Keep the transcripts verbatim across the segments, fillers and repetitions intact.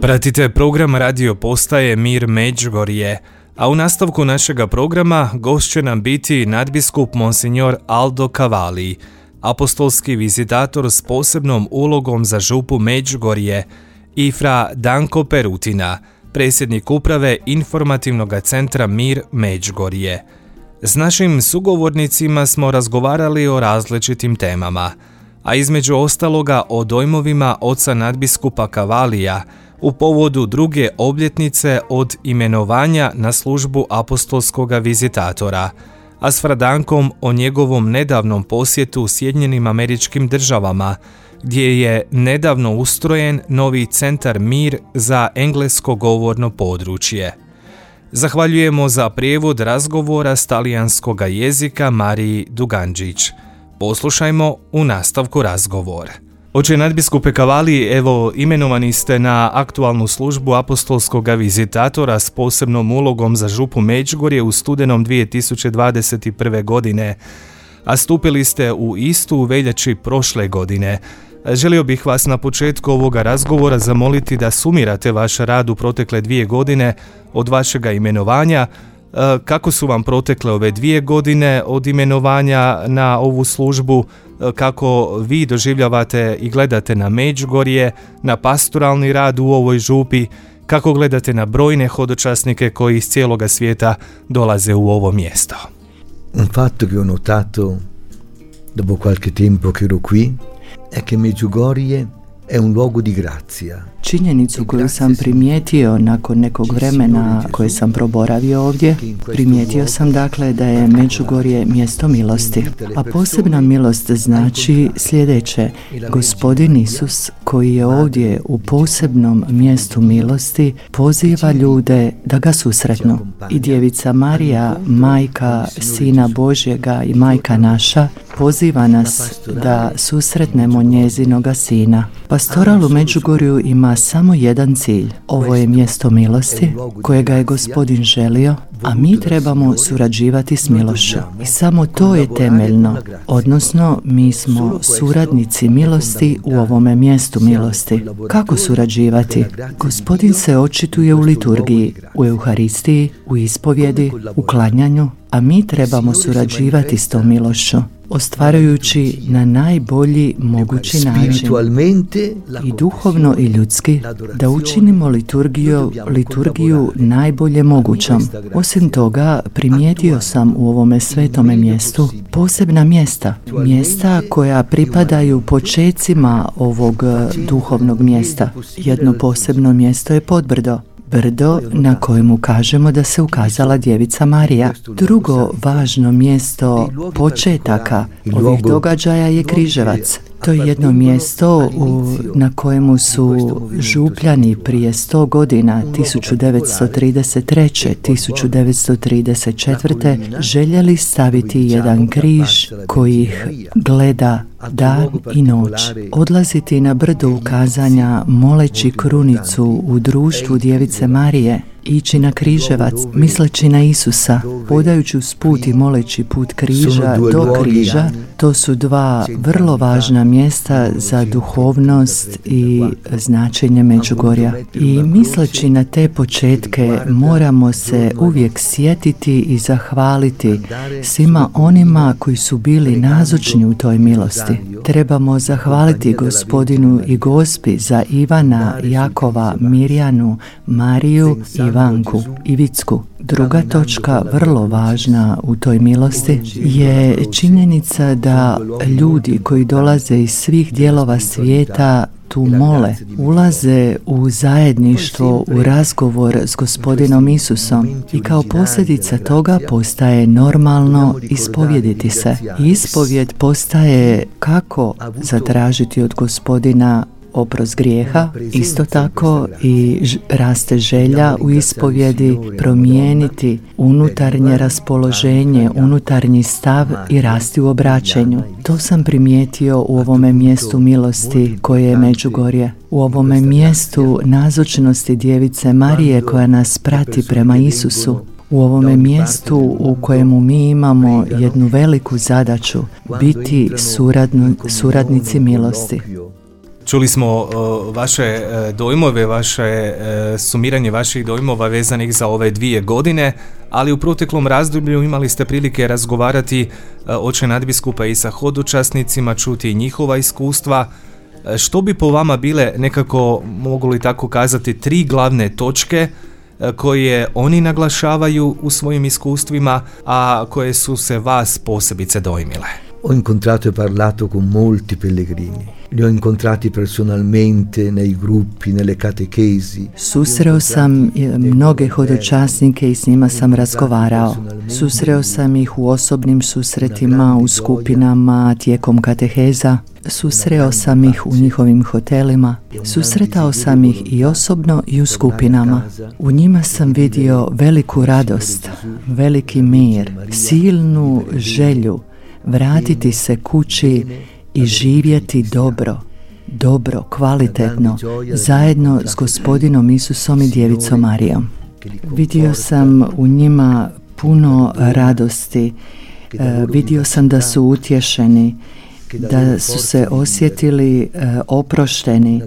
Pratite program radio postaje Mir Međugorje, a u nastavku našega programa gost će nam biti nadbiskup Monsignor Aldo Cavalli, apostolski vizitator s posebnom ulogom za župu Međugorje, i fra Danko Perutina, predsjednik uprave informativnog centra Mir Međugorje. S našim sugovornicima smo razgovarali o različitim temama, a između ostaloga o dojmovima oca nadbiskupa Cavallija u povodu druge obljetnice od imenovanja na službu apostolskoga vizitatora, a s Fradankom o njegovom nedavnom posjetu Sjedinjenim Američkim Državama, gdje je nedavno ustrojen novi centar Mir za englesko govorno područje. Zahvaljujemo za prijevod razgovora s talijanskoga jezika Mariji Duganđić. Poslušajmo u nastavku razgovora. Oče nadbiskupe Cavalli, evo, imenovani ste na aktualnu službu apostolskoga vizitatora s posebnom ulogom za župu Međugorje u studenom dvije tisuće dvadeset prve. godine, a stupili ste u istu u veljači prošle godine. Želio bih vas na početku ovoga razgovora zamoliti da sumirate vaš rad u protekle dvije godine od vašega imenovanja. Kako su vam protekle ove dvije godine od imenovanja na ovu službu, kako vi doživljavate i gledate na Međugorje, na pastoralni rad u ovoj župi, kako gledate na brojne hodočasnike koji iz cijeloga svijeta dolaze u ovo mjesto? Un fatto che ho notato dopo qualche tempo che ero qui è che Medjugorje è un luogo di grazia. Činjenicu koju sam primijetio nakon nekog vremena koje sam proboravio ovdje, primijetio sam dakle da je Međugorje mjesto milosti. A posebna milost znači sljedeće: Gospodin Isus, koji je ovdje u posebnom mjestu milosti, poziva ljude da ga susretnu. I djevica Marija, majka Sina Božjega i majka naša, poziva nas da susretnemo njezinoga Sina. Pastoral u Međugorju ima samo jedan cilj. Ovo je mjesto milosti kojega je Gospodin želio, a mi trebamo surađivati s milošću. I samo to je temeljno, odnosno mi smo suradnici milosti u ovome mjestu milosti. Kako surađivati? Gospodin se očituje u liturgiji, u Euharistiji, u ispovjedi, u klanjanju, a mi trebamo surađivati s tom milošću, ostvarujući na najbolji mogući način i duhovno i ljudski da učinimo liturgiju, liturgiju najbolje mogućom. Osim toga, primijetio sam u ovome svetome mjestu posebna mjesta, mjesta koja pripadaju počecima ovog duhovnog mjesta. Jedno posebno mjesto je Podbrdo, brdo na kojemu kažemo da se ukazala djevica Marija. Drugo važno mjesto početaka ovih događaja je Križevac. To je jedno mjesto u, na kojemu su župljani prije sto godina, tisuću devetsto trideset treće. tisuću devetsto trideset četvrte. željeli staviti jedan križ koji ih gleda dan i noć. Odlaziti na brdo ukazanja moleći krunicu u društvu djevice Marije, ići na Križevac misleći na Isusa, podajući uz put i moleći put križa do križa. To su dva vrlo važna mjesta za duhovnost i značenje Međugorja. I misleći na te početke moramo se uvijek sjetiti i zahvaliti svima onima koji su bili nazočni u toj milosti. Trebamo zahvaliti Gospodinu i Gospi za Ivana, Jakova, Mirjanu, Mariju, Ivanku i Vicku. Druga točka, vrlo važna u toj milosti, je činjenica da ljudi koji dolaze iz svih dijelova svijeta tu mole, ulaze u zajedništvo, u razgovor s Gospodinom Isusom i kao posljedica toga postaje normalno ispovjediti se. Ispovjed postaje kako zatražiti od Gospodina oprost grijeha, isto tako i ž- raste želja u ispovjedi promijeniti unutarnje raspoloženje, unutarnji stav i rasti u obraćenju. To sam primijetio u ovome mjestu milosti koje je Međugorje. U ovome mjestu nazočnosti djevice Marije koja nas prati prema Isusu. U ovome mjestu u kojemu mi imamo jednu veliku zadaću, biti suradno, suradnici milosti. Čuli smo uh, vaše uh, dojmove, vaše uh, sumiranje vaših dojmova vezanih za ove dvije godine, ali u proteklom razdoblju imali ste prilike razgovarati uh, oče nadbiskupa i sa hodočasnicima, čuti njihova iskustva. Uh, što bi po vama bile nekako, mogu li tako kazati, tri glavne točke uh, koje oni naglašavaju u svojim iskustvima, a koje su se vas posebice dojmile? Ho incontrato e parlato con molti pellegrini. Li ho incontrati personalmente nei gruppi, nelle catechesi. Susreo sam mnoge hodočasnike i s njima sam razgovarao. Susreo sam ih u osobnim susretima, u skupinama, tijekom kateheza. Susreo sam ih u njihovim hotelima. Susretao sam ih i osobno i u skupinama. U njima sam vidio veliku radost, veliki mir, silnu želju vratiti se kući i živjeti dobro, dobro, kvalitetno, zajedno s Gospodinom Isusom i Djevicom Marijom. Vidio sam u njima puno radosti, e, vidio sam da su utješeni, da su se osjetili e, oprošteni.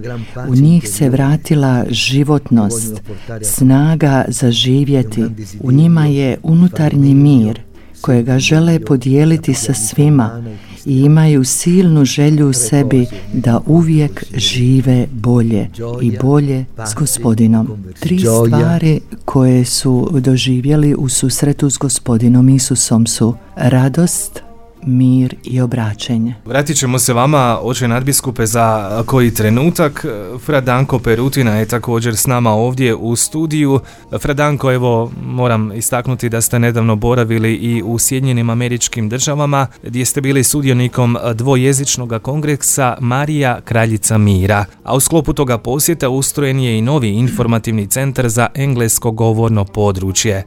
U njih se vratila životnost, snaga za živjeti. U njima je unutarnji mir kojega žele podijeliti sa svima i imaju silnu želju u sebi da uvijek žive bolje i bolje s Gospodinom. Tri stvari koje su doživjeli u susretu s Gospodinom Isusom su radost, mir i obraćenje. Vratit ćemo se vama, oče nadbiskupe, za koji trenutak. Fra Danko Perutina je također s nama ovdje u studiju. Fra Danko, evo, moram istaknuti da ste nedavno boravili i u Sjedinjenim Američkim Državama, gdje ste bili sudionikom dvojezičnog kongresa Marija Kraljica mira. A u sklopu toga posjeta ustrojen je i novi informativni centar za englesko govorno područje. E,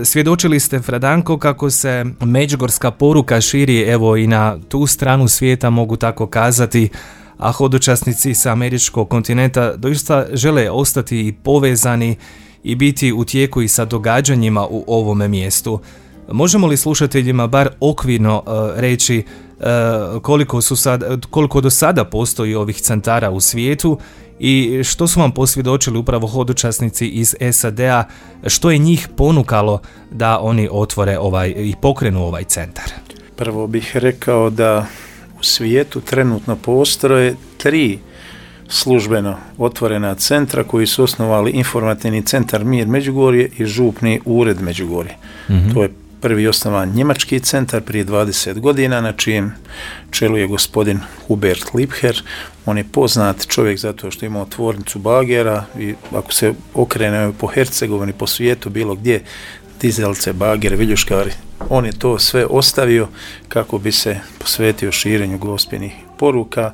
svjedočili ste, Fra Danko, kako se međugorska poruka širi evo i na tu stranu svijeta, mogu tako kazati, a hodočasnici sa američkog kontinenta doista žele ostati i povezani i biti u tijeku i sa događanjima u ovome mjestu. Možemo li slušateljima bar okvirno uh, reći uh, koliko, su sad, koliko do sada postoji ovih centara u svijetu i što su vam posvjedočili upravo hodočasnici iz S A D-a, što je njih ponukalo da oni otvore ovaj i pokrenu ovaj centar? Prvo bih rekao da u svijetu trenutno postoje tri službeno otvorena centra koji su osnovali informativni centar Mir Međugorje i župni ured Međugorje. Mm-hmm. To je prvi osnovan njemački centar prije dvadeset godina, na čijem čelu je gospodin Hubert Liebherr. On je poznat čovjek zato što ima tvornicu bagera i ako se okrene po Hercegovini, po svijetu, bilo gdje, dizelce, bagere, viljuškari, on je to sve ostavio kako bi se posvetio širenju gospelnih poruka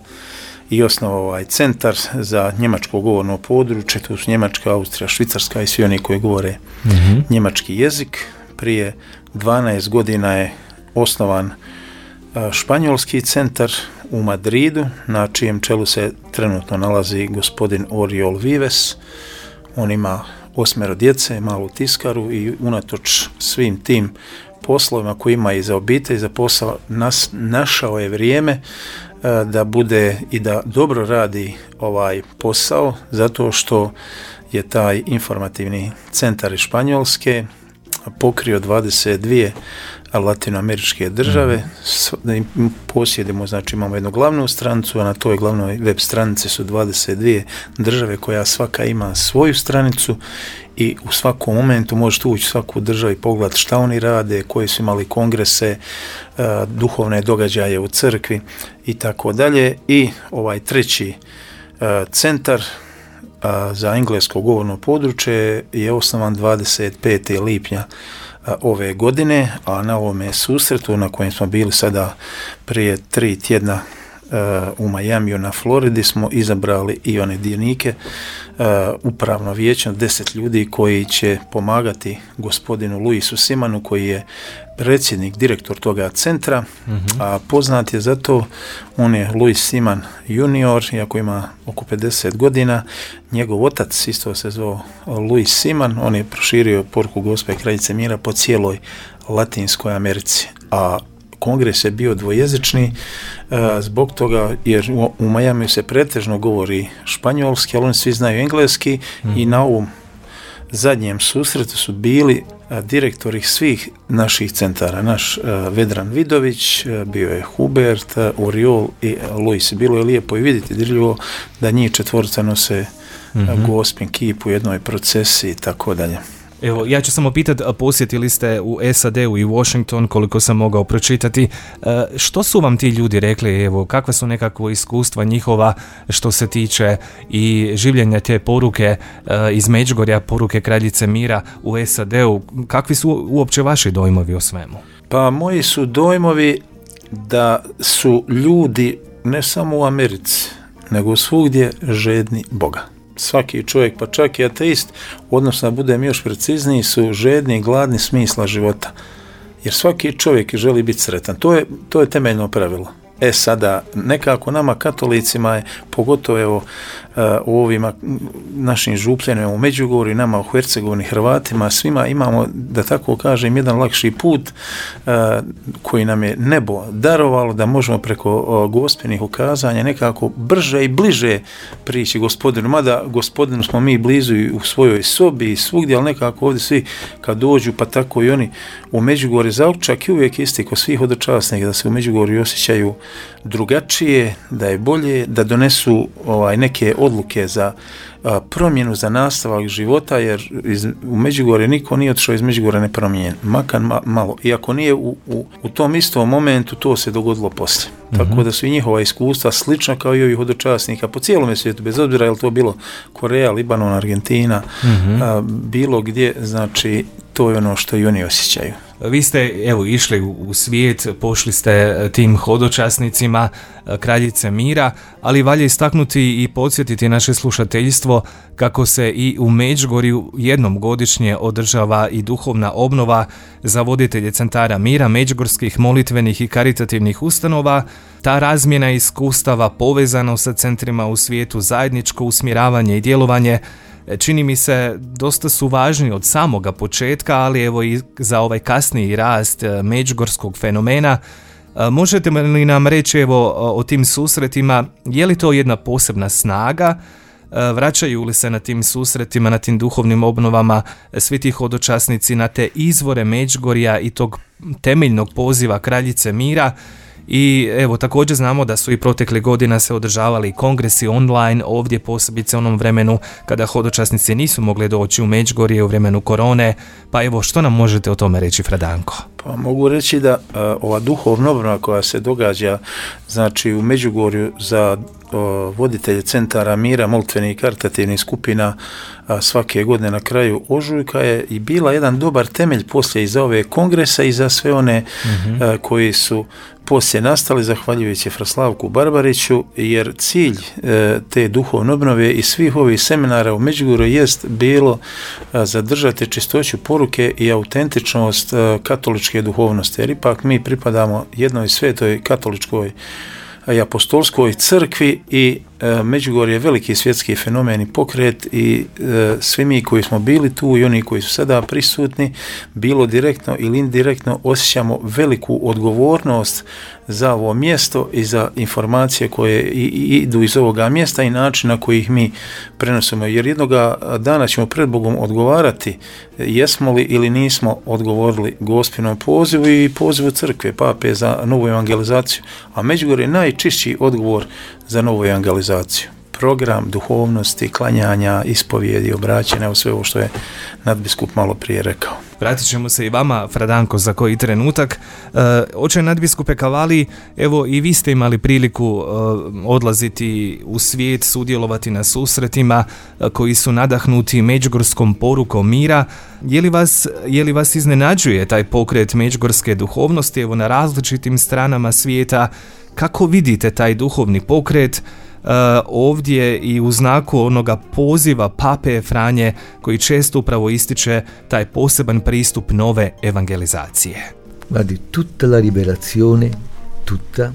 i osnovao ovaj centar za njemačko govorno područje. Tu su Njemačka, Austrija, Švicarska i svi oni koji govore mm-hmm. njemački jezik. Prije dvanaest godina je osnovan a, španjolski centar u Madridu, na čijem čelu se trenutno nalazi gospodin Oriol Vives. On ima osmero djece, malu tiskaru i unatoč svim tim poslovima koji ima i za obitelj i za posao, nas, našao je vrijeme a, da bude i da dobro radi ovaj posao, zato što je taj informativni centar iz Španjolske pokrio dvadeset dvije latinoameričke države. Posjedimo, znači imamo jednu glavnu stranicu, a na toj glavnoj web stranici su dvadeset dvije države koja svaka ima svoju stranicu i u svakom momentu možete ući u svaku državu i pogledati šta oni rade, koji su imali kongrese, duhovne događaje u crkvi i tako dalje. I ovaj treći centar za englesko govorno područje je osnovan dvadeset petog lipnja ove godine, a na ovome susretu na kojem smo bili sada prije tri tjedna u Majamiju na Floridi smo izabrali i one dionike, upravno vijeće, deset ljudi koji će pomagati gospodinu Luisu Simanu, koji je predsjednik, direktor toga centra, mm-hmm. a poznat je zato, on je Luis Siman junior, iako ima oko pedeset godina, njegov otac isto se zvao Luis Siman, on je proširio poruku Gospe Kraljice mira po cijeloj Latinskoj Americi, a kongres je bio dvojezični zbog toga jer u, u Majamiju se pretežno govori španjolski, ali oni svi znaju engleski mm. i na ovom zadnjem susretu su bili a, direktori svih naših centara. Naš a, Vedran Vidović, a, bio je Hubert, a, Uriol i Luis. Bilo je lijepo i vidjeti dirljivo da njih četvorica nose mm-hmm. Gospin kip u jednoj procesiji i tako dalje. Evo, ja ću samo pitati, posjetili ste u S A D-u i Washington, koliko sam mogao pročitati, što su vam ti ljudi rekli, evo, kakva su nekakva iskustva njihova što se tiče i življenja te poruke iz Međugorja, poruke Kraljice mira u S A D-u, kakvi su uopće vaši dojmovi o svemu? Pa moji su dojmovi da su ljudi ne samo u Americi, nego svugdje žedni Boga. Svaki čovjek, pa čak i ateist, odnosno da budem još precizniji, su žedni i gladni smisla života. Jer svaki čovjek želi biti sretan. To je, to je temeljno pravilo. E sada, nekako nama katolicima je, pogotovo evo, u ovima našim župljenima u Međugorju, nama u Hercegovini, Hrvatima, svima imamo, da tako kažem, jedan lakši put koji nam je nebo darovalo da možemo preko gospelnih ukazanja nekako brže i bliže prići Gospodinu. Mada Gospodinu smo mi blizu i u svojoj sobi i svugdje, ali nekako ovdje svi kad dođu, pa tako i oni u Međugorju zaočak i uvijek isti ko svih hodočasnika, da se u Međugorju osjećaju drugačije, da je bolje, da donesu ovaj, neke odluke za a, promjenu, za nastavak života, jer iz, u Međugorje niko nije otišao iz Međugorja nepromijenjen, makar ma, malo. I ako nije u, u, u tom istom momentu, to se dogodilo poslije. Mm-hmm. Tako da su i njihova iskustva slična kao i ovih hodočasnika po cijelom svijetu, bez obzira je li to bilo Koreja, Libanon, Argentina, mm-hmm. a, bilo gdje, znači to je ono što i oni osjećaju. Vi ste, evo, išli u svijet, pošli ste tim hodočasnicima Kraljice mira, ali valja istaknuti i podsjetiti naše slušateljstvo kako se i u Međugorju jednom godišnje održava i duhovna obnova za voditelje centara mira, međugorskih molitvenih i karitativnih ustanova. Ta razmjena iskustava povezano sa centrima u svijetu, zajedničko usmjeravanje i djelovanje čini mi se dosta su važni od samoga početka, ali evo i za ovaj kasniji rast međugorskog fenomena. Možete li nam reći evo o tim susretima, je li to jedna posebna snaga? Vraćaju li se na tim susretima, na tim duhovnim obnovama svi ti hodočasnici na te izvore Međugorja i tog temeljnog poziva Kraljice mira? I evo, također znamo da su i protekle godina se održavali kongresi online, ovdje posebice u onom vremenu kada hodočasnici nisu mogli doći u Međugorje u vremenu korone. Pa evo, što nam možete o tome reći, Fradanko? Pa mogu reći da a, ova duhovna obnova koja se događa, znači u Međugorju za o, voditelje centara mira, molitvenih i karitativnih skupina a, svake godine na kraju ožujka je i bila jedan dobar temelj poslije i za ove kongresa i za sve one mm-hmm. a, koji su poslije nastali zahvaljujući Fraslavku Barbariću, jer cilj e, te duhovne obnove i svih ovih seminara u Međugorju jest bilo a, zadržati čistoću poruke i autentičnost a, katoličke duhovnosti, jer ipak mi pripadamo jednoj svetoj katoličkoj i apostolskoj crkvi i e, Međugorje je veliki svjetski fenomen i pokret i e, svi mi koji smo bili tu i oni koji su sada prisutni, bilo direktno ili indirektno osjećamo veliku odgovornost za ovo mjesto i za informacije koje i, i idu iz ovoga mjesta i način na koji ih mi prenosimo. Jer jednoga dana ćemo pred Bogom odgovarati jesmo li ili nismo odgovorili Gospinom pozivu i pozivu crkve, pape za novu evangelizaciju. A Međugorje je najčišći odgovor za novu evangelizaciju. Program duhovnosti, klanjanja, ispovijedi, obraćanja, sve ovo što je nadbiskup malo prije rekao. Vratit ćemo se i vama, Fradanko, za koji trenutak. E, oče nadbiskupe Cavalli, evo i vi ste imali priliku e, odlaziti u svijet, sudjelovati na susretima e, koji su nadahnuti međugorskom porukom mira. Je li vas, je li vas iznenađuje taj pokret međugorske duhovnosti, evo na različitim stranama svijeta? Kako vidite taj duhovni pokret Uh, ovdje i u znaku onoga poziva Pape Franje koji često upravo ističe taj poseban pristup nove evangelizacije? Guardi, tutta la liberazione, tutta,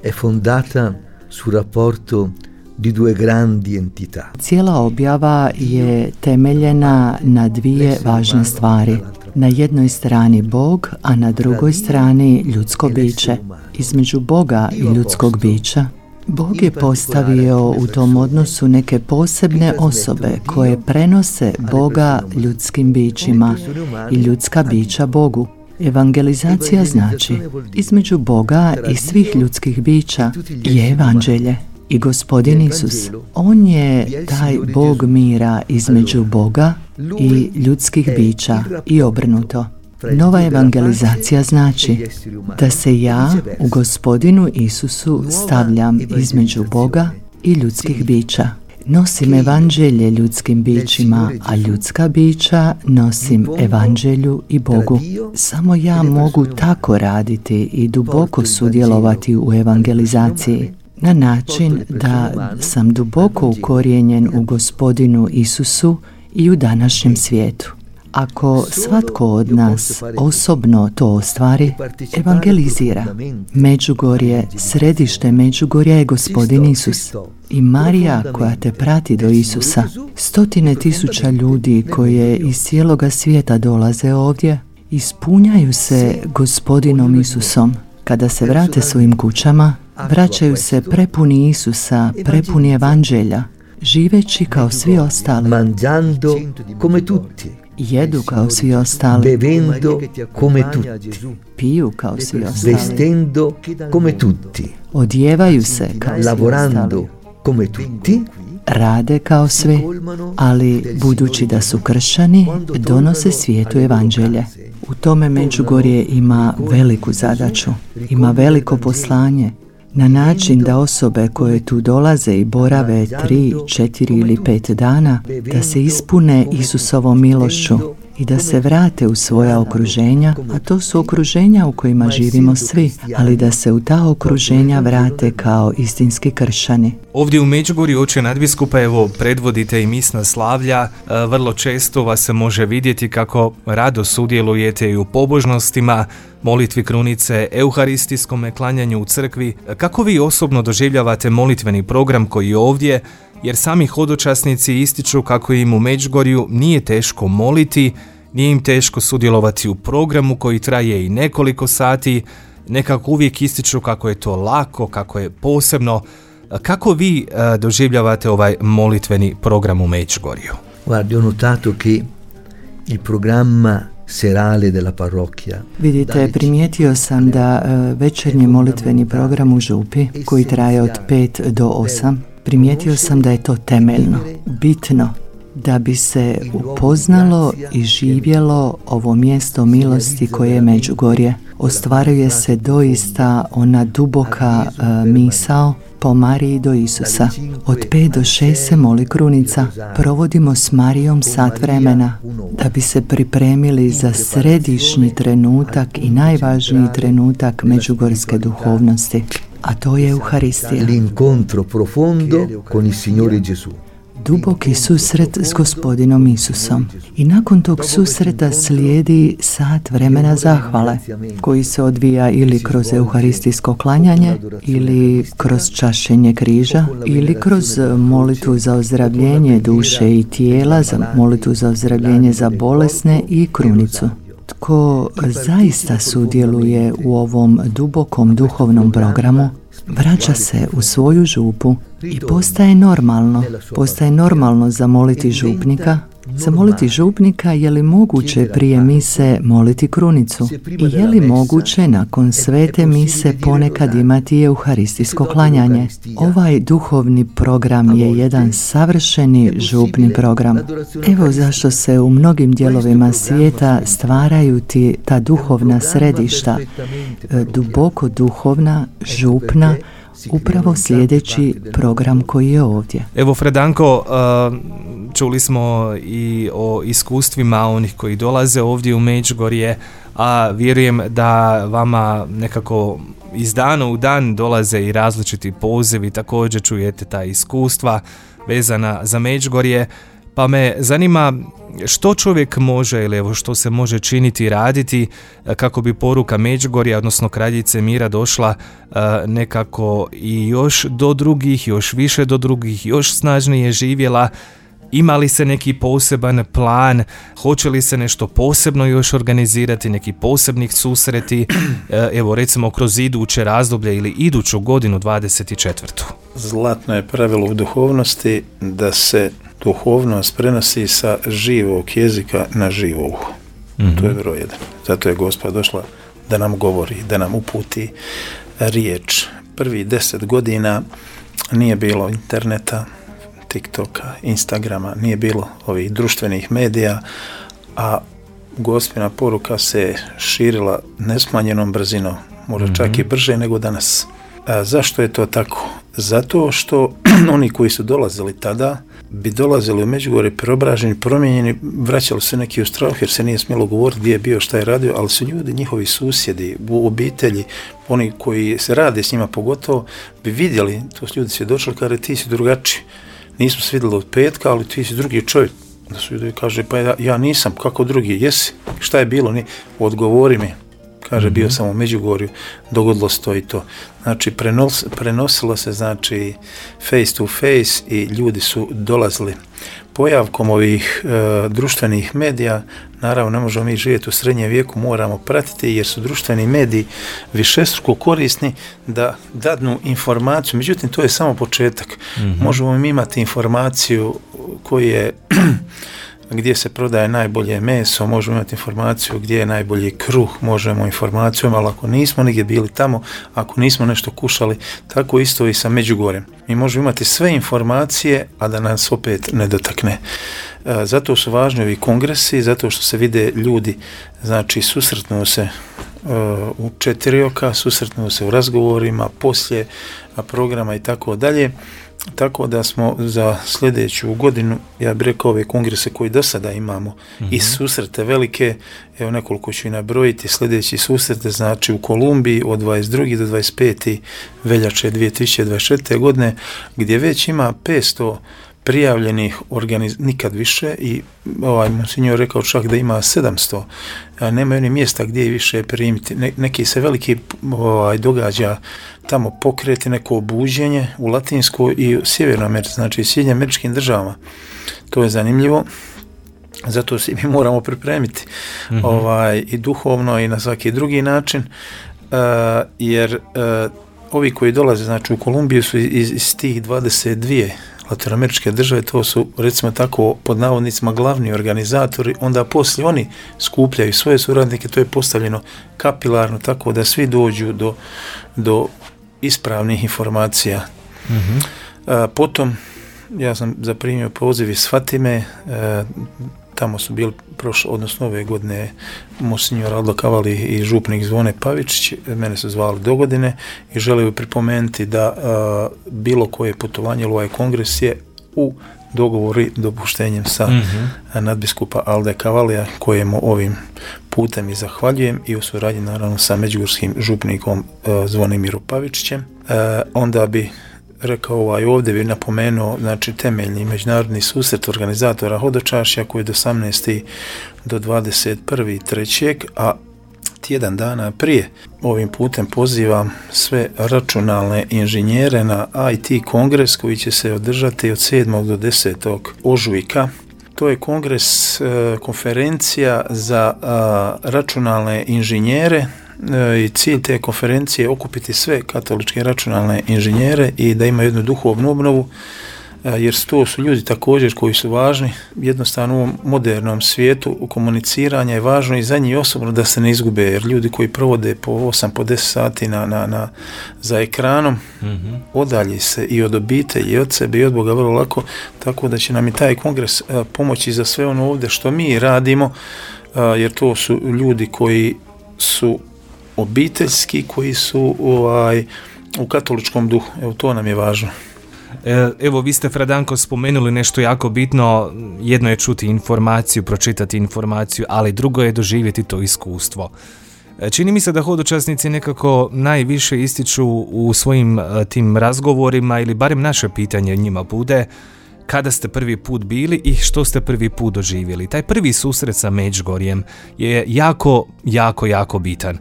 è fondata sul rapporto di due grandi entità. Cijela objava je temeljena na dvije važne stvari. Na jednoj strani Bog, a na drugoj strani ljudsko biće. Između Boga i ljudskog bića Bog je postavio u tom odnosu neke posebne osobe koje prenose Boga ljudskim bićima i ljudska bića Bogu. Evangelizacija znači između Boga i svih ljudskih bića je evanđelje. I Gospodin Isus, On je taj Bog mira između Boga i ljudskih bića i obrnuto. Nova evangelizacija znači da se ja u Gospodinu Isusu stavljam između Boga i ljudskih bića. Nosim evanđelje ljudskim bićima, a ljudska bića nosim evanđelju i Bogu. Samo ja mogu tako raditi i duboko sudjelovati u evangelizaciji. Na način da sam duboko ukorijenjen u Gospodinu Isusu i u današnjem svijetu. Ako svatko od nas osobno to ostvari, evangelizira. Međugorje, središte Međugorja je Gospodin Isus. I Marija koja te prati do Isusa. Stotine tisuća ljudi koje iz cijeloga svijeta dolaze ovdje, ispunjaju se Gospodinom Isusom. Kada se vrate svojim kućama, vraćaju se prepuni Isusa, prepuni evanđelja, živeći kao svi ostali. Mangiando come tutti. Jedu kao svi ostali. Bevendo come tutti. Piju kao svi ostali. Vestendo come tutti. Odjevaju se kao svi Lavorando ostali. come tutti. Rade kao svi, ali budući da su kršćani, donose svijetu evanđelje. U tome Međugorje ima veliku zadaću, ima veliko poslanje, na način da osobe koje tu dolaze i borave tri, četiri ili pet dana, da se ispune Isusovom milošću i da se vrate u svoja okruženja, a to su okruženja u kojima živimo svi, ali da se u ta okruženja vrate kao istinski kršćani. Ovdje u Međugorju, oče nadbiskupa, evo predvodite i misna slavlja, vrlo često vas se može vidjeti kako rado sudjelujete i u pobožnostima, molitvi krunice, euharistijskom klanjanju u crkvi. Kako vi osobno doživljavate molitveni program koji je ovdje, jer sami hodočasnici ističu kako im u Međugorju nije teško moliti, nije im teško sudjelovati u programu koji traje i nekoliko sati, nekako uvijek ističu kako je to lako, kako je posebno. Kako vi uh, doživljavate ovaj molitveni program u Međugorju? Guardi, ho notato che il programma serale della parrocchia. Vidite, primijetio sam da uh, večernji molitveni program u župi, koji traje od pet do osam, primijetio sam da je to temeljno, bitno, da bi se upoznalo i živjelo ovo mjesto milosti koje je Međugorje. Ostvaruje se doista ona duboka uh, misao po Mariji do Isusa. Od pet do šest se moli krunica. Provodimo s Marijom sat vremena da bi se pripremili za središnji trenutak i najvažniji trenutak međugorske duhovnosti, a to je Euharistija. L'incontro profondo con il Signore Gesù. Duboki susret s Gospodinom Isusom. I nakon tog susreta slijedi sat vremena zahvale, koji se odvija ili kroz euharistijsko klanjanje, ili kroz čašenje križa, ili kroz molitvu za ozdravljenje duše i tijela, za molitvu za ozdravljenje za bolesne i krunicu. Tko zaista sudjeluje u ovom dubokom duhovnom programu, vraća se u svoju župu i postaje normalno, postaje normalno zamoliti župnika, zamoliti župnika je li moguće prije mise moliti krunicu i je li moguće nakon svete mise ponekad imati euharistijsko klanjanje. Ovaj duhovni program je jedan savršeni župni program. Evo zašto se u mnogim dijelovima svijeta stvaraju ti ta duhovna središta, duboko duhovna, župna, upravo sljedeći program koji je ovdje. Evo, Fredanko, čuli smo i o iskustvima onih koji dolaze ovdje u Međugorje, a vjerujem da vama nekako iz dana u dan dolaze i različiti pozivi, također čujete ta iskustva vezana za Međugorje, pa me zanima što čovjek može ili evo što se može činiti i raditi kako bi poruka Međugorja, odnosno Kraljice mira došla nekako i još do drugih, još više do drugih, još snažnije živjela Ima li se neki poseban plan? Hoće li se nešto posebno još organizirati, neki posebnih susreti, evo recimo kroz iduće razdoblje ili iduću godinu dvadeset četvrtu? Zlatno je pravilo u duhovnosti da se duhovnost prenosi sa živog jezika na živo uho. Mm-hmm. To je broj jedan. Zato je Gospa došla da nam govori, da nam uputi riječ. Prvi deset godina nije bilo interneta, TikToka, Instagrama, nije bilo ovih društvenih medija, a Gospina poruka se širila nesmanjenom brzinom, možda mm-hmm. čak i brže nego danas. A zašto je to tako? Zato što oni koji su dolazili tada bi dolazili u Međugorje preobraženi, promijenjeni, vraćali se neki u strah jer se nije smjelo govoriti gdje je bio, šta je radio, ali su ljudi, njihovi susjedi, u obitelji, oni koji se rade s njima pogotovo, bi vidjeli, to su ljudi svjedočili, kaže ti si drugačiji, nismo se vidjeli od petka, ali ti si drugi čovjek. Da su ljudi kaže, pa ja, ja nisam, kako drugi, jesi, šta je bilo, ni, odgovori mi. Kaže, bio sam u Međugorju, dogodilo se to i to. Znači, prenos, prenosilo se, znači, face to face i ljudi su dolazili. Pojavkom ovih e, društvenih medija, naravno, ne možemo mi živjeti u srednjem vijeku, moramo pratiti, jer su društveni mediji višestruko korisni da dadnu informaciju. Međutim, to je samo početak. Mm-hmm. Možemo mi imati informaciju koju je... gdje se prodaje najbolje meso, možemo imati informaciju gdje je najbolji kruh, možemo informaciju, ali ako nismo nigdje bili tamo, ako nismo nešto kušali, tako isto i sa Međugorjem. Mi možemo imati sve informacije, a da nas opet ne dotakne. E, zato su važni ovi kongresi, zato što se vide ljudi, znači susretnu se uh, u četiri oka, susretnu se u razgovorima, poslije programa i tako dalje. Tako da smo za sljedeću godinu, ja bih rekao, ove kongrese koji do sada imamo mm-hmm. i susrete velike, evo nekoliko ću i nabrojiti, sljedeći susrete znači u Kolumbiji od dvadeset druge do dvadeset pete veljače dvije tisuće dvadeset četvrte godine, gdje već ima petsto prijavljenih organiz... nikad više i ovaj monsignor rekao čak da ima sedamsto, a nema ni mjesta gdje više primiti. Ne, neki se veliki ovaj, događa tamo pokreti, neko obuđenje u Latinskoj i u Sjevernoj Americi, znači u Sjedinjenim Američkim državama. To je zanimljivo. Zato se mi moramo pripremiti mm-hmm. ovaj, i duhovno i na svaki drugi način, uh, jer uh, ovi koji dolaze znači u Kolumbiju su iz, iz tih dvadeset dvije latinoameričke države, to su recimo tako pod navodnicima glavni organizatori, onda poslije oni skupljaju svoje suradnike, to je postavljeno kapilarno tako da svi dođu do, do ispravnih informacija. Mm-hmm. A, potom ja sam zaprimio poziv iz Fatime, a, tamo su bili prošle, odnosno ove godine monsignor Aldo Cavalli i župnik Zvone Pavičić, mene su zvali do godine i želio pripomenuti da a, bilo koje putovanje ili ovaj kongres je u dogovori dopuštenjem sa mm-hmm. nadbiskupa Alde Cavallija, kojemu ovim putem i zahvaljujem i u suradnji naravno sa međugorskim župnikom a, Zvonimirom Pavičićem. A, onda bi rekao ovaj, ovdje bi napomenuo znači temeljni međunarodni susret organizatora hodočašća koji je od osamnaestog do dvadeset prvog trećeg a tjedan dana prije ovim putem pozivam sve računalne inženjere na I T kongres koji će se održati od sedmog do desetog ožujka. To je kongres, e, konferencija za a, računalne inženjere i cilj te konferencije je okupiti sve katoličke računalne inženjere i da imaju jednu duhovnu obnovu, jer to su ljudi također koji su važni. Jednostavno u ovom modernom svijetu u komuniciranja je važno i za njih osobno da se ne izgube, jer ljudi koji provode po osam, po deset sati na, na, na, za ekranom mm-hmm. odalji se i od obitelji i od sebe i od Boga vrlo lako, tako da će nam i taj kongres a, pomoći za sve ono ovdje što mi radimo, a, jer to su ljudi koji su obiteljski, koji su ovaj, u katoličkom duhu. Evo, to nam je važno. Evo, vi ste, Fradanko, spomenuli nešto jako bitno. Jedno je čuti informaciju, pročitati informaciju, ali drugo je doživjeti to iskustvo. Čini mi se da hodočasnici nekako najviše ističu u svojim tim razgovorima, ili barem naše pitanje njima bude, kada ste prvi put bili i što ste prvi put doživjeli. Taj prvi susret sa Međugorjem je jako, jako, jako bitan.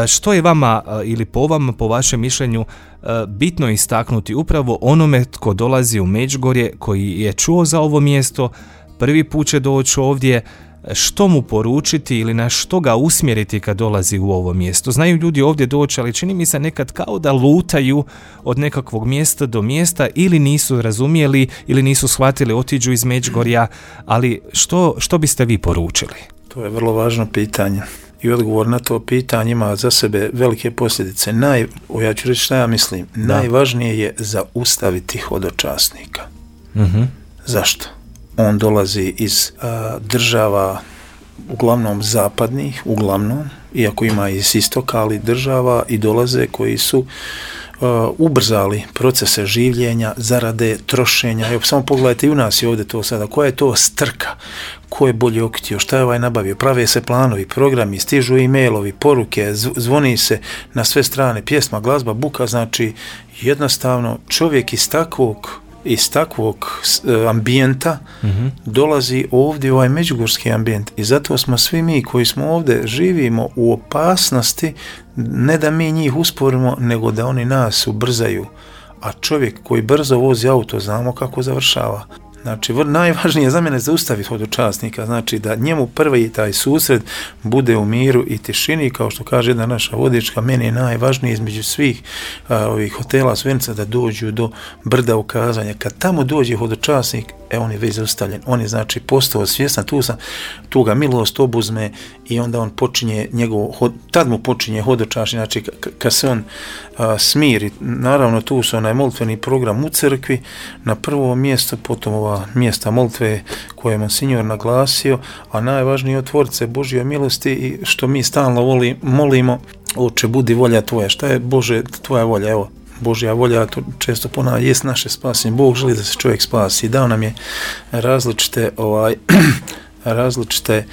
Što je vama ili po vama, po vašem mišljenju, bitno istaknuti upravo onome tko dolazi u Međugorje, koji je čuo za ovo mjesto, prvi put će doći ovdje, što mu poručiti ili na što ga usmjeriti kad dolazi u ovo mjesto? Znaju ljudi ovdje doći, ali čini mi se nekad kao da lutaju od nekakvog mjesta do mjesta, ili nisu razumjeli ili nisu shvatili, otiđu iz Međugorja, ali što, što biste vi poručili? To je vrlo važno pitanje. I odgovor na to pitanje ima za sebe velike posljedice. Naj, ja ću reći šta ja mislim. Da. Najvažnije je zaustaviti hodočasnika. Uh-huh. Zašto? On dolazi iz a, država uglavnom zapadnih, uglavnom, iako ima iz istoka, ali država i dolaze koji su uh, ubrzali procese življenja, zarade, trošenja. Evo, samo pogledajte i u nas je ovdje to sada. Koja je to strka? Ko je bolje okitio? Šta je ovaj nabavio? Prave se planovi, programi, stižu e-mailovi, poruke, zvoni se na sve strane, pjesma, glazba, buka. Znači, jednostavno čovjek iz takvog iz takvog ambijenta mm-hmm. dolazi ovdje u ovaj međugorski ambijent i zato smo svi mi koji smo ovdje živimo u opasnosti, ne da mi njih usporimo, nego da oni nas ubrzaju, a čovjek koji brzo vozi auto znamo kako završava. Znači, najvažnije za mene zaustaviti hodočasnika, znači da njemu prvi taj susret bude u miru i tišini, kao što kaže jedna naša vodička, meni je najvažnije između svih a, ovih hotela Svenca da dođu do brda ukazanja. Kad tamo dođe hodočasnik, e, on je već zaustavljen, on je znači postao svjestan, tu, sam, tu ga milost obuzme i onda on počinje njegov, tad mu počinje hodočasnik, znači k- kad se on a, smiri, naravno tu su onaj molitveni program u crkvi, na prvo mjesto, potom ova mjesta molitve koje je monsignor naglasio, a najvažnije otvorit se Božjoj milosti i što mi stalno voli, molimo, Oče, budi volja tvoja. Šta je Bože tvoja volja? Evo, Božja volja, to često ponavlja, jest naše spasenje. Bog želi da se čovjek spasi. Dao nam je različite ovaj različite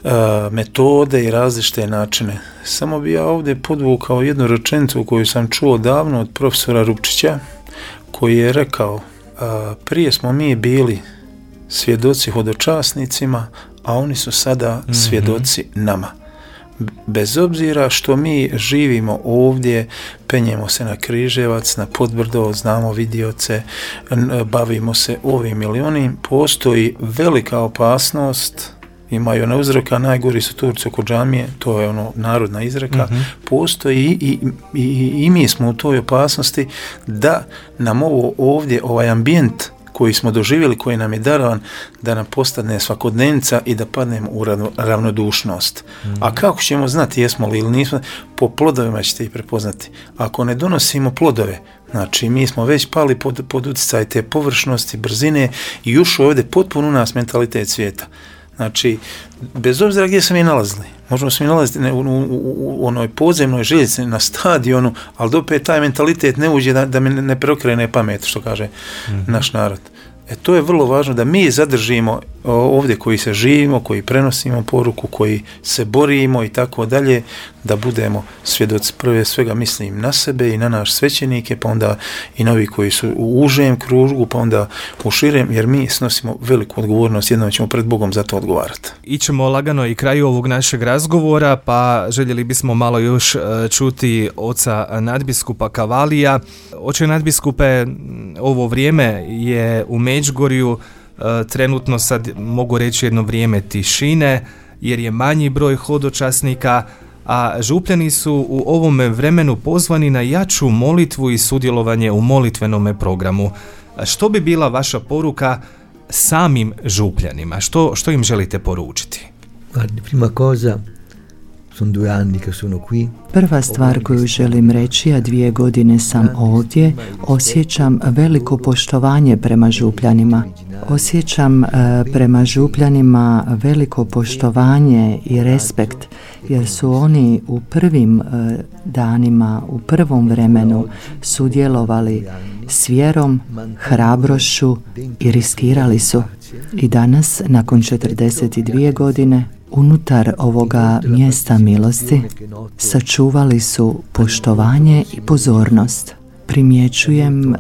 uh, metode i različite načine. Samo bi ja ovdje podvukao jednu rečenicu koju sam čuo davno od profesora Rupčića, koji je rekao: uh, prije smo mi bili svjedoci hodočasnicima, a oni su sada mm-hmm. svjedoci nama. Bez obzira što mi živimo ovdje, penjemo se na Križevac, na Podbrdo, znamo vidioce, bavimo se ovim ili onim, postoji velika opasnost, imaju na uzroka, najgori su Turci oko džamije, to je ono narodna izreka, mm-hmm. postoji i, i, i, i mi smo u toj opasnosti da nam ovo ovdje, ovaj ambijent koji smo doživjeli, koji nam je darovan, da nam postane svakodnevnica i da padnemo u ravnodušnost. Mm. A kako ćemo znati jesmo li ili nismo? Po plodovima ćete ih prepoznati. Ako ne donosimo plodove, znači mi smo već pali pod, pod utjecaj te površnosti, brzine i ušao ovdje potpuno u nas mentalitet svijeta. Znači, bez obzira gdje se mi nalazili, možemo se mi nalaziti u, u, u, u onoj podzemnoj željeznici, na stadionu, ali da opet taj mentalitet ne uđe da, da mi ne preokrene pamet, što kaže mm-hmm. naš narod. E, to je vrlo važno da mi zadržimo ovdje koji se živimo, koji prenosimo poruku, koji se borimo i tako dalje, da budemo svjedoci. Prve svega mislim na sebe i na naš svećenike, pa onda i na ovi koji su u užem krugu, pa onda u širem, jer mi snosimo veliku odgovornost, jednom ćemo pred Bogom za to odgovarati. Ićemo lagano i kraju ovog našeg razgovora, pa željeli bismo malo još čuti oca nadbiskupa Cavalija. Oče nadbiskupe, ovo vrijeme je u Međugorju trenutno, sad mogu reći, jedno vrijeme tišine, jer je manji broj hodočasnika, a župljani su u ovome vremenu pozvani na jaču molitvu i sudjelovanje u molitvenome programu. Što bi bila vaša poruka samim župljanima? Što, što im želite poručiti? Guardi, prima cosa, sono due anni che sono qui. Prva stvar koju želim reći, a dvije godine sam ovdje, osjećam veliko poštovanje prema župljanima. Osjećam uh, prema župljanima veliko poštovanje i respekt, jer su oni u prvim uh, danima, u prvom vremenu sudjelovali s vjerom, hrabrošću i riskirali su. I danas, nakon četrdeset dvije godine, unutar ovoga mjesta milosti sačuvali su poštovanje i pozornost. primjećujem e,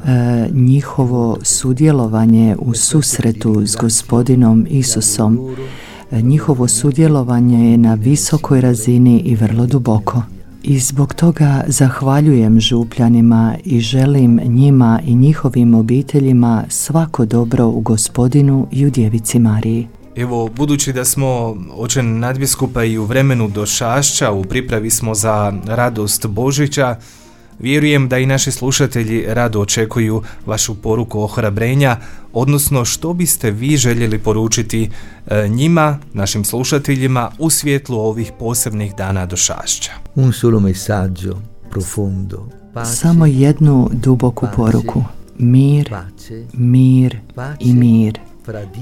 njihovo sudjelovanje u susretu s Gospodinom Isusom. E, njihovo sudjelovanje je na visokoj razini i vrlo duboko. I zbog toga zahvaljujem župljanima i želim njima i njihovim obiteljima svako dobro u Gospodinu i u Djevici Mariji. Evo, budući da smo oče nadbiskupa i u vremenu došašća, u pripravi smo za radost Božića, vjerujem da i naši slušatelji rado očekuju vašu poruku ohrabrenja, odnosno što biste vi željeli poručiti njima, našim slušateljima, u svjetlu ovih posebnih dana došašća. Un solo messaggio profondo. Samo jednu duboku poruku. Mir, mir i mir.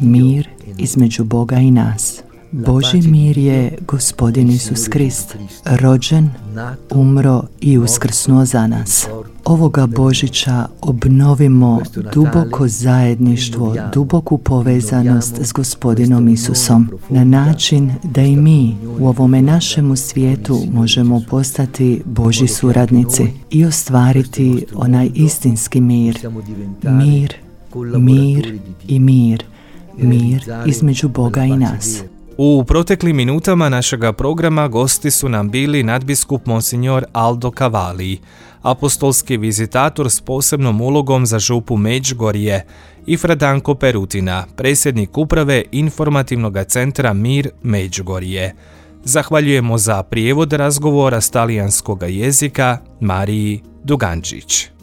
Mir između Boga i nas. Božji mir je Gospodin Isus Krist, rođen, umro i uskrsnuo za nas. Ovoga Božića obnovimo duboko zajedništvo, duboku povezanost s Gospodinom Isusom, na način da i mi u ovome našemu svijetu možemo postati Božji suradnici i ostvariti onaj istinski mir. Mir, mir i mir. Mir između Boga i nas. U proteklim minutama našega programa gosti su nam bili nadbiskup Monsignor Aldo Cavalli, apostolski vizitator s posebnom ulogom za župu Međugorje, i Fra Danko Perutina, predsjednik uprave informativnog centra Mir Međugorje. Zahvaljujemo za prijevod razgovora s talijanskog jezika Mariji Dugančić.